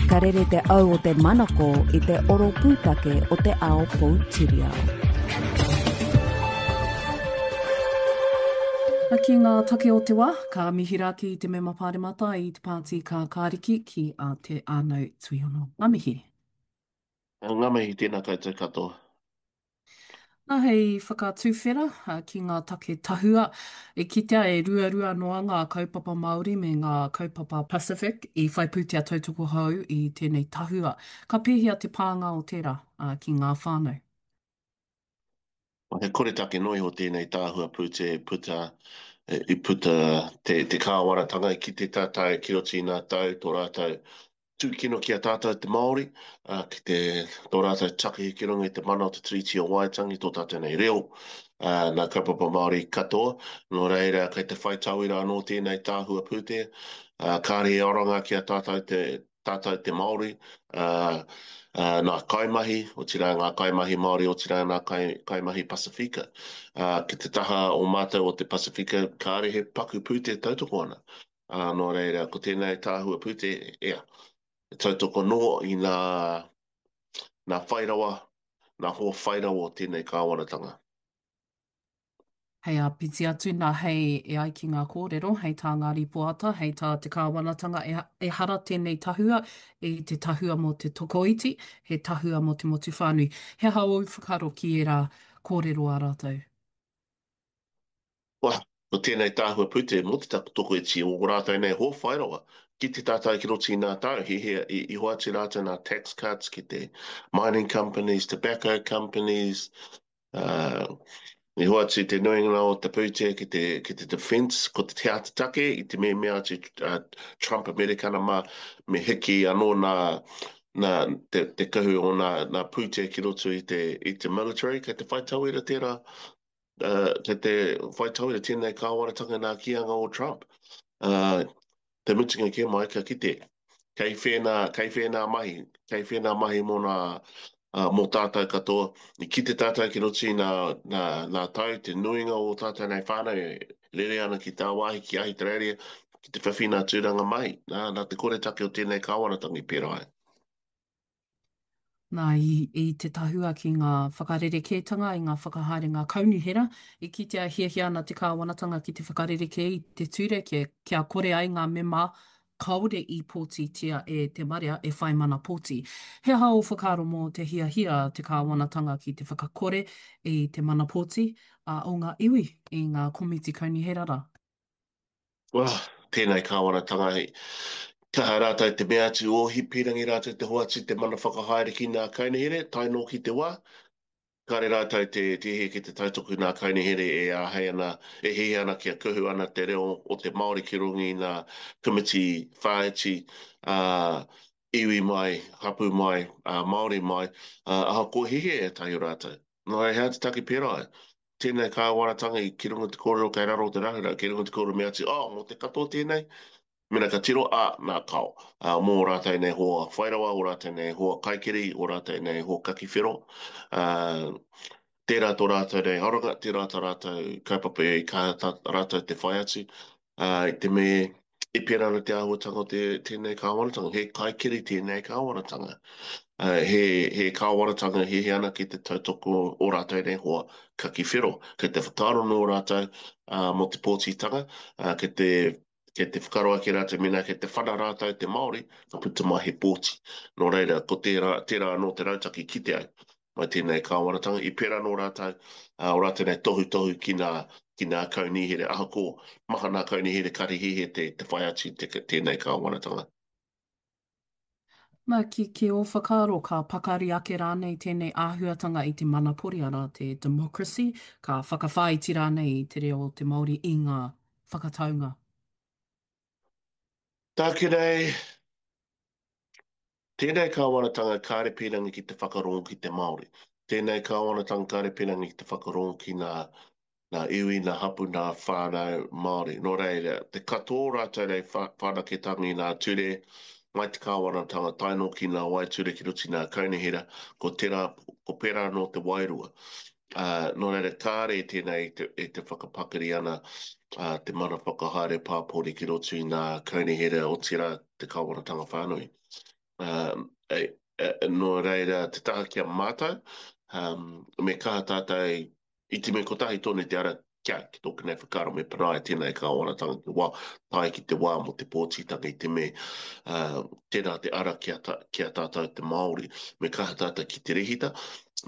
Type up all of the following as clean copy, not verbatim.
Ka rere te au o te manako i te oro pūtake o te ao poutiriao. Ki ngā take o te wā, ka mihi rā ki te Mema Pāremata i te Pāti Kākāriki ki a Te Ānau Tuiono. Ngā mihi. Ngā mihi, tēnā koutou katoa. Nā, hei whakatuwhera ki ngā take tahua, i kitea e ruarua noa ngā kaupapa Māori me ngā kaupapa Pacific i whai pūtea tautoko hou i tēnei tahua. Ka pēhea te pānga o tērā ki ngā whānau? He koretake noa iho tēnei tahua pūtea i puta, i puta te, te kāwanatanga i kite tātou ki roto i ngā tau, tō rātou tūkino ki a tātou te Māori, ā, ki te, tō rātou takahi ki runga i te mana o te Tiriti o Waitangi, tō tātou nei reo, ā, nā kaupapa Māori katoa. Nō reira, kei te whai tauira anō tēnei tāhua pūtea, ā, kāre he oranga ki a tātou te, tātou te Māori, ā, ā, nā kaimahi, otirā ngā kaimahi Māori, otirā ngā kai, kaimahi Pasifika. Ā, ki te taha o mātou o te Pasifika, kāre he paku pūtea tautoko ana. Ā, nō reira, ko tēnei tāhua pūte, ia, e tautoko nō i nā, nā whairawa, nā hoa whairawa o tēnei kāwanatanga. Hei āpiti atu nā, hei, e ai ki ngā kōrero, hei tā ngā rīpoata, hei tā te kāwanatanga, e, ehara tēnei tahua i te tahua mō te tokoiti, he tahua mō te motu whānui. He aha ōu whakaaro ki ērā kōrero a rātou? Wah, ko tēnei tāhua pūtea mō te tokoiti o ō rātou nei hoa whairawa ki te tātai ki roto i nā tau, he hea i, i hoatu rātou nā tax cuts ki te mining companies, tobacco companies, uh, i hoatu te nuinga o te pūtea ki te, ki te defence, ko te te ata take i te mea mea atu uh, Trump Amerikana mā, me hiki anō nā, nā te, te kahu o nā, nā pūtea ki roto i te, i te military, kei te whai tauira tērā Uh, kei te whai tauira tēnei kāwanatanga nā kīanga o Trump. Uh, te mutunga kē mai, ka kite, kei whēnā, kei whēnā mahi, kei whēnā mahi mō nā, uh, mō tātou katoa. I kite tātou ki roto i nā, nā, nā tau, te nuinga o tātou nei whānau e rere ana ki tāwāhi, ki Ahitereiria, ki te whiwhi nā tūranga mahi. Nā, nā te koretake o tēnei kāwanatanga i pērā ai. Nā, i, i te tahua ki ngā whakarerekētanga i ngā whakahaerenga kaunihera, i kitea e hiahia ana te kāwanatanga ki te whakarerekē i te ture kia, kia kore ai ngā mema kāore i pōtitia e te marea e whai mana pōti. He aha ō whakaaro mō te hiahia a te kāwanatanga ki te whakakore i te mana pōti, ā, o ngā iwi i ngā komiti kaunihera rā? Well, tēnei kāwanatanga hei kaha rātou te mea atu o Hipirangi rātou te hoatu te mana whakahaere ki ngā kaunihera tae noa ki te wā. Kāre rātou te te hiahia ki te tautoko i ngā kaunihera e āhei ana, e hiahia ana kia kuhu ana te reo o te Māori ki runga i ngā komiti whāiti, ā, iwi mai, hapū mai, ā, Māori mai, ā, ahakoa hiahia ētahi o rātou. Nō reira, he aha te take pērā ai? Tēnei kāwanatanga i ki runga te kōrero kei raro o te rahurau, kei runga te kōrero me atu, oh, mō te katoa tēnei? Mena ka tiro, ā, nā, kao. Ā, mō ō rātou nei hoa whairawa, ō rātou nei hoa kaikiri, ō rātou nei hoa kaki whero, ā, tērā tō rātou nei aronga, tērā tā rātou kaupapa i kaha tā rātou te whai atu, ā, i te me i pērā ana te āhuatanga o te, tēnei kāwanatanga, he kaikiri tēnei kāwanatanga. Ā, he, he kāwanatanga e hiahia ana ki te tautoko o rātou nei hoa kaki whero. Kei te whakaaro nō rātou, ā, mō te pōtitanga, ā, kei te, kei te whakaaro ake rātou mēnā kei te whana rātou te Māori, ka puta mai he pōti. Nō reira, ko tērā, tērā anō te rautaki kite ai mai tēnei kāwanatanga. I pērā nō rātou, ā, o rātou nei tohutohu ki nā, ki nā kaunihera, ahakoa maha nā kaunihera kare hiahia te, te whai atu i te, tēnei kāwanatanga. Nā, ki, ki ō whakaaro, ka pakari ake rānei tēnei āhuatanga i te manapori, arā, te democracy, ka whakawhāiti rānei i te reo o te Māori i ngā whakataunga? Tāku nei, Tēnei kāwanatanga kāre pīrangi ki te whakarongo ki te Māori. Tēnei kāwanatanga kāre pīrangi ki te whakarongo ki nā, nā iwi, nā hapu, nā whānau Māori. Nō reira, te katoa o rātou nei whanaketanga i nā ture mai te kāwanatanga tae noa ki nā waeture ki roto i nā kaunihera, ko tērā, ko pērā anō te wairua. Ā, nō reira, kāre tēnei e te, e te whakapakari ana ā, te mana whakahaere pāpori ki roto i nā kaunihera, otirā te kāwanatanga whānui. Nō reira, te taha ki a mātou, me kaha tātou i te mea kotahi tonu te ara kia, ki tōku nei whakaaro me panaia tēnei kāwanatanga ki wā, tae ki te wā mō te pōtitanga i te mea tērā te ara ki a, ki a tātou te Māori, me kaha tātou ki te rehita,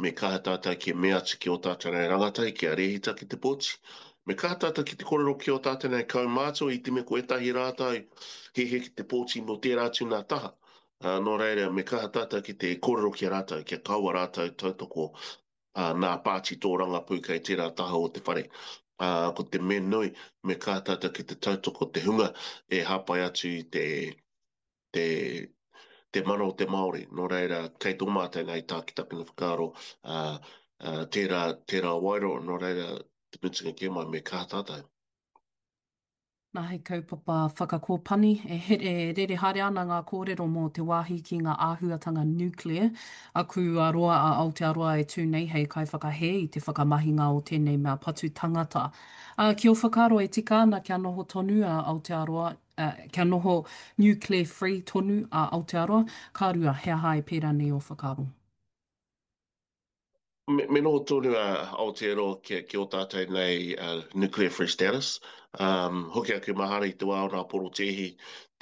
me kaha tātou ki mea atu ki ō tātou nei rangatahi kia rehita ki te pōti, me kaha tātou ki te kōrero ki ō tātou nei kaumātua i te mea ko ētahi rātou hiahia ki te pōti mō tērā atu nā taha. Nō reira, me kaha tātou ki te kōrero ki a rātou, kia kaua rātou tautoko nā pāti tōrangapū kei tērā taha o te whare. Ā, ko te mea nui, me kaha tātou ki te tautoko te hunga e hāpai atu i te, te, te mana o te Māori. Nō reira, kei tō mātou nei tā ki takuna whakaaro, ā, ā, tērā, tērā waero, nō reira, te mutunga kē mai, me kaha tātou. Nā, he kaupapa whakakōpani e e rere haere ana ngā kōrero mō te wāhi ki ngā āhuatanga nuclear. Aku a roa a Aotearoa e tū nei hei kaiwhakahē i te whakamahinga o tēnei mea patu tangata. Ā, ki ō whakaaro e tika ana kia noho tonu a Aotearoa, ā, kia noho nuclear free tonu a Aotearoa? Ka rua, he aha e pērā nei ō whakaaro? Me, me noho tonu a Aotearoa ki, ki ō tātou nei uh, nuclear free status. Um, hoki aku mahara i te wā o nā porotēhi,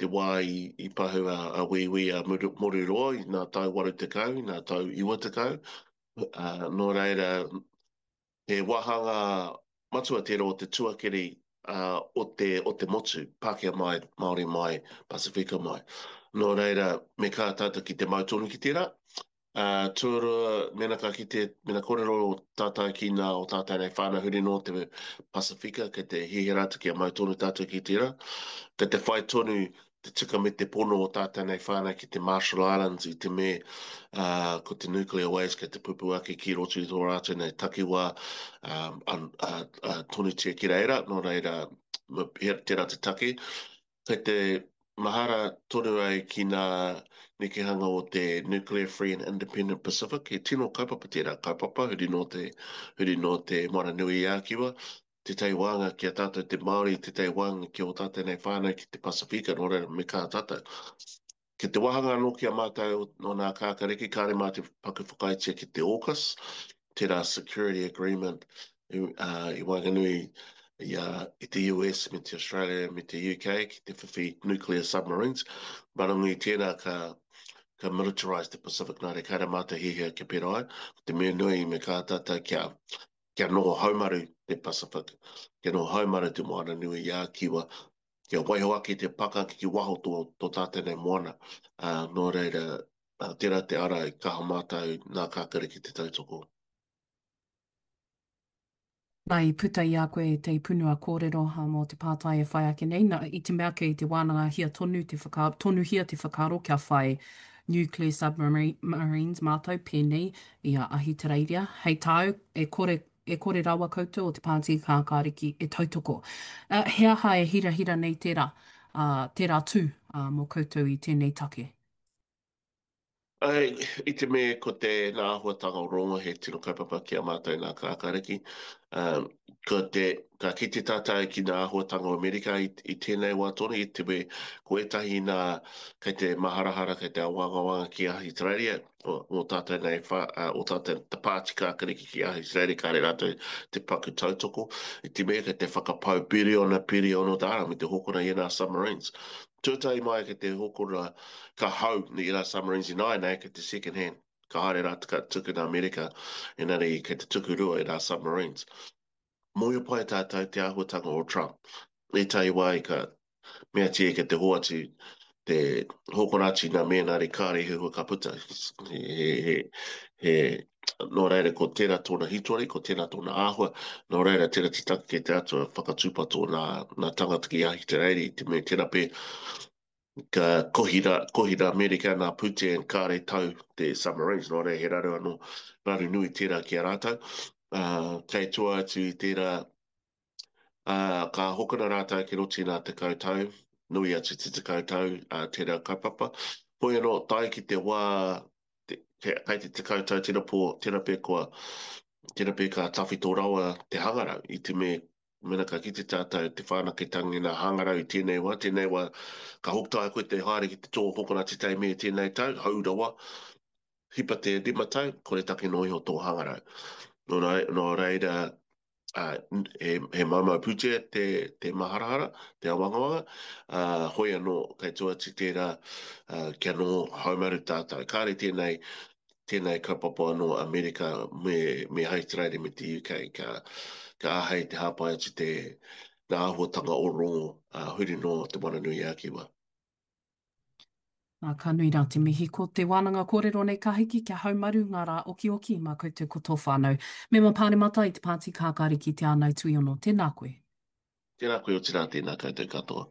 te wā i, i pahu a, a Wīwī a Moruroa i nā tau 80, i nā tau 90. Uh, nō reira, he wāhanga matua tērā o te tuakiri uh, o, te, o te motu, Pākehā mai, Māori mai, Pasifika mai. Nō reira, me kā tātou ki te mau tonu ki tērā. Uh, tuarua, mena ka kite, mena kōrero tātou ki nā o tātou nei whānau huri nō te Pasifika, kei te hiahia rātou kia mau tonu tātou ki tērā. Kei te whai tonu te tika me te pono o tātou nei whānau ki te Marshall Islands i te me uh, ko te nuclear waste kei te pupu ake ki roto i tō rātou nei takiwā um, an, uh, uh, tonutia ki reira, nō reira, tērā te take. Kei te mahara tonu ai ki nā nekehanga o te Nuclear Free and Independent Pacific, he tino kaupapa tērā kaupapa, huri nō te, huri nō te Moana-nui-ā-Kiwa, tētahi wānga ki a tātou te Māori, tētahi wānga ki ō tātou nei whānau ki te Pasifika, nō reira me kaha tātou. Ki te wāhanga anō ki a mātou o nā kākariki, kāre mā te paku whakaaetia ki te AUKUS, tērā security agreement i, uh, i waenganui i, uh, i te US me te Australia me te UK ki te whiwhi nuclear submarines. Marangu i tērā ka, ka militarise te Pacific nā reira kāre mātou hiahia kia pērā ai. Ko te mea nui me kaha tātou kia, kia noho haumaru te Pacific, kia noho haumaru te Moana-nui-ā-Kiwa, kia waiho ake te pakanga ki waho tō, tō tātou nei moana. Ā, nō reira, ā, tērā te ara i kaha mātou nā Kākare ki te tautoko. Nā, i puta i a koe te punua kōrero mō te pātai e whai ake nei, nā, i te mea kei te wānangahia tonu te whaka, tonuhia te whakaaro kia whai nuclear submarines mātou pēnei i a Ahitereiria. Hei tāu, e kore E kore rawa koutou o te Pāti Kākāriki e tautoko. He aha e hirahira nei tērā, tērā tū mō koutou i tēnei take? Āe, i te mea ko te nā āhuatanga o Rongo he tino kaupapa ki a mātou nā Kākāriki. Ko te, ka kite tātou ki nā āhuatanga o Amerika i, i tēnei wā tonu, i te mea ko ētahi nā kei te maharahara, kei te awangawanga ki Ahitereiria, o tātou nei, o tātou te pāti kākariki ki Ahitereiria, kāre rātou te paku tautoko, i te mea kei te whakapau piriona, piriona tāra me te hokona i ēnā submarines. Tuatahi mai kei te hokona, ka hau i ērā submarines ināianei kei te second hand, ka haere rātou ka tuku nā Amerika, engari kei te tuku rua ērā submarines. Mōhio pai tātou te āhuatanga o Trump. Ētahi wā i ka meatia ki te hoatu, te hokona atu nā mēnā re kāre he hua ka puta. He, he, he, he, nō reira ko tērā tōna hitori, ko tērā tōna āhua, nō reira tērā te take kei te atua whakatūpato nā, nā tangata ki Ahitereiria i te mea tērā pē ka kohi rā, kohi rā Amerika nā pūtea and kāre tau te submarines, nō reira he raru anō, raru nui tērā ki a rātou. Uh, kei tua atu i tērā, ā, ka hokona rātou ki roto i ngā 10 tau, nui atu te 10 tau, ā, tērā kaupapa. Hoi anō, tae ki te wā, te, kei te 10 tau tēnā pō, tēnā pea kua, tēnā pea ka tawhito rawa te hangarau i te mea. Mēnā ka kite tātou te whanaketanga i ngā hangarau i tēnei wā, tēnei wā ka hoki koe te haere ki te tō kokonati tei me tēnei tau, hou rawa, hipa te 5 tau, kore take noa iho tō hangarau. Nō, nō reira, uh, he, he maumau pūtea te, te maharahara, te awangawanga, uh, hoi anō, kei tua atu tērā, uh, kia noho haumaru tātou. Kāre tēnei, tēnei kaupapa anō Amerika me, me Ahitereiria me te UK ka, ka āhei te hāpai atu te ngā āhuatanga o rongo uh, huri noa Te Moananui-a-Kiwa. Nā, ka nui rā te mihi. Ko te wānanga kōrero nei ka hiki kia haumaru ngā rā okioki mā koutou ko tō whānau. Mema Pāremata i te Pāti Kākāriki Te Ānau Tuiono, tēnā koe. Tēnā koe otirā tēnā koutou katoa.